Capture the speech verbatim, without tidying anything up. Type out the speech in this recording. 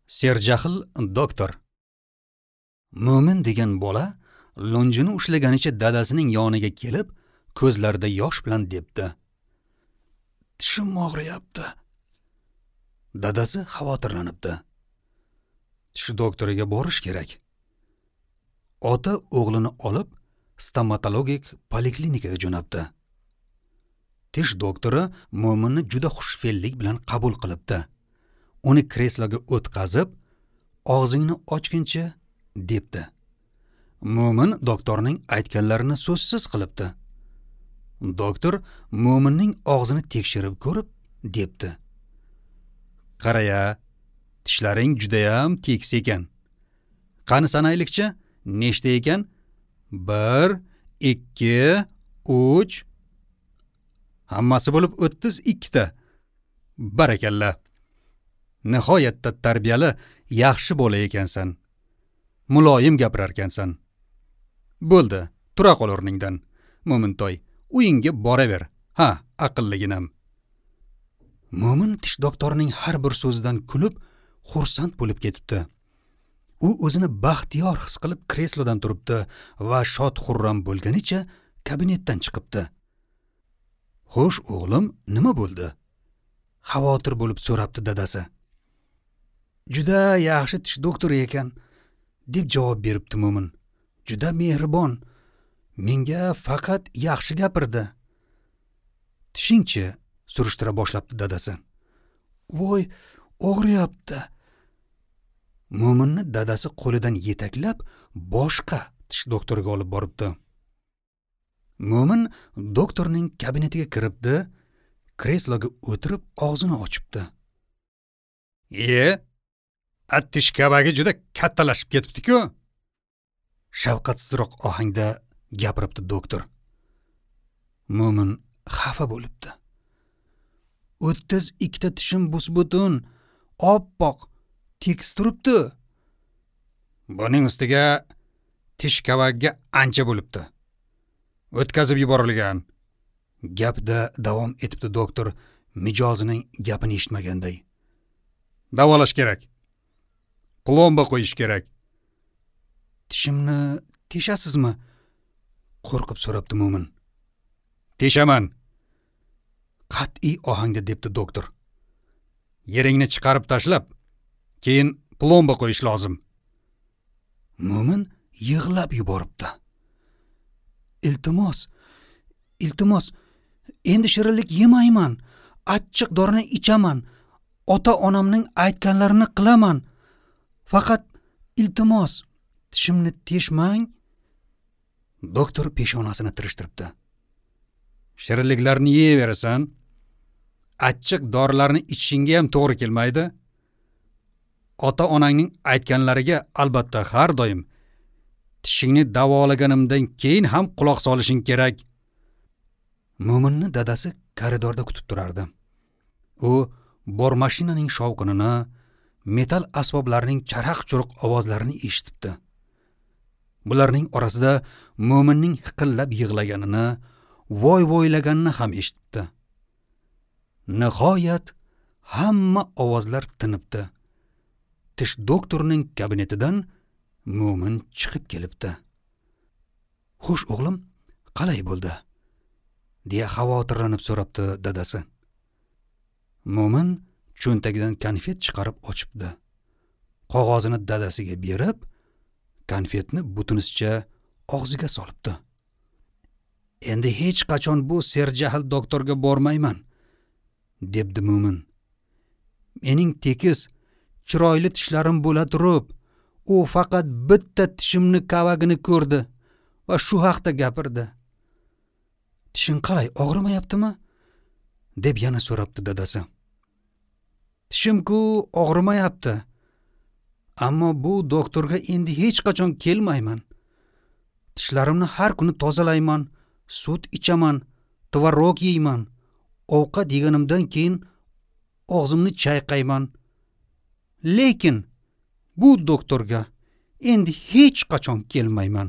Serjahl doktor. Mo'min degan bola lunjini ushlaganicha dadasining yoniga kelib, ko'zlarida yosh bilan debdi: "Tishim og'riyapti." Dadasi xavotirlanibdi. Tish doktoriga borish kerak. Ota o'g'lini olib stomatologik poliklinikaga jo'natdi. Tish doktori Mo'minni juda xushfe'llik bilan qabul qilibdi. Uni kresloga o'tqazib, "Og'zingni ochguncha" debdi. Mo'min doktorning aytganlarini so'zsiz qilibdi. Doktor Mo'minning og'zini tekshirib ko'rib debdi: "Qaraya, tishlaring judayam tekis ekan. Qani sanaylikchi, nechta ekan? bir, ikki, uch. Hammasi bo'lib o'ttiz ikkita. Barakalla. Nihoyatda tarbiyali, yaxshi bola ekansan. Muloyim gapirar ekansan. Bo'ldi, tura qol o'rningdan. Mo'mintoy, uyingga boraver. Ha, aqlliginam." Mo'min tish doktorining har bir so'zidan kulib, xursand bo'lib ketibdi. U o'zini baxtiyor his qilib kreslodan turibdi va shod-xurram bo'lganicha kabinetdan chiqibdi. "Xo'sh, o'g'lim, nima bo'ldi?" xavotir bo'lib so'rabdi dadasi. "Juda yaxshi tish doktori ekan", deb javob beribdi Mo'min. "Juda mehribon. Menga faqat yaxshi gapirdi." "Tishingchi?" surishtira boshlabdi dadasi. "Voy, og'riyapti." Mo'minni dadasi qo'lidan yetaklab boshqa tish doktoriga olib boribdi. Mo'min doktorning kabinetiga kiribdi, kresloga o'tirib og'zini ochibdi. "E, a tish kabagi juda kattalashib ketibdi-ku." Shafqatsizroq ohangda gapiribdi doktor. Mo'min xafa bo'libdi. "O'ttiz ikkita tishim bus-butun, oppoq, tekis turibdi. Buning ustiga tish kavagiga ancha bo'libdi. O'tkazib yuborilgan." Gapda davom etibdi doktor, mijozining gapini eshitmaganday. "Davolash kerak. Plomba qo'yish kerak." "Tishimni teshasizmi?" qo'rqib so'rabdi Mo'min. "Teshaman." Qat'iy ohangda debdi doktor. "Yeringni chiqarib tashlab, keyin plomba qo'yish lozim." Mo'min yig'lab yuboribdi. "Iltimos, iltimos, endi shirinlik yemayman, achchiq dorini ichaman, ota-onamning aytganlarini qilaman. Faqat iltimos, tishimni teshmang." Doktor peshonasini tirishtiribdi. "Shirinliklarni yeyverasan, achchiq dorilarni ichishingga ham to'g'ri kelmaydi. Ota-onangning aytganlariga albatta har doim tishingni davolaganimdan keyin ham quloq solishing kerak." Mo'minni dadasi koridorda kutib turardi. U bor mashinaning shovqinini, metal asboblarining charaq-churuq ovozlarini eshitibdi. Bularning orasida Mo'minning hiqillab yig'laganini, voy-voylaganini ham eshitibdi. Nihoyat hamma ovozlar tinibdi. Tish doktorining kabinetidan Mo'min chiqib kelibdi. "Xo'sh, o'g'lim, qalay bo'ldi?" deya xavotirlanib so'rabdi dadasi. Mo'min cho'ntagidan konfet chiqarib ochibdi. Qog'ozini dadasiga berib, konfetni butunisicha og'ziga solibdi. "Endi hech qachon bu serjahl doktorga bormayman", debdi Mo'min. "Mening tekis, chiroyli tishlarim bo'la turib, u faqat bitta tishimni kavagini ko'rdi va shu haqda gapirdi." "Tishing qalay, og'rimayaptimi?" deb yana so'rabdi dadasi. "Tishim-ku og'rimayapti. Ammo bu doktorga endi hech qachon kelmayman. Tishlarimni har kuni tozalayman, sut ichaman, tvorog yeyman. Ovqat yeganimdan keyin og'zimni chayqayman. Lekin bu doktorga endi hech qachon kelmayman."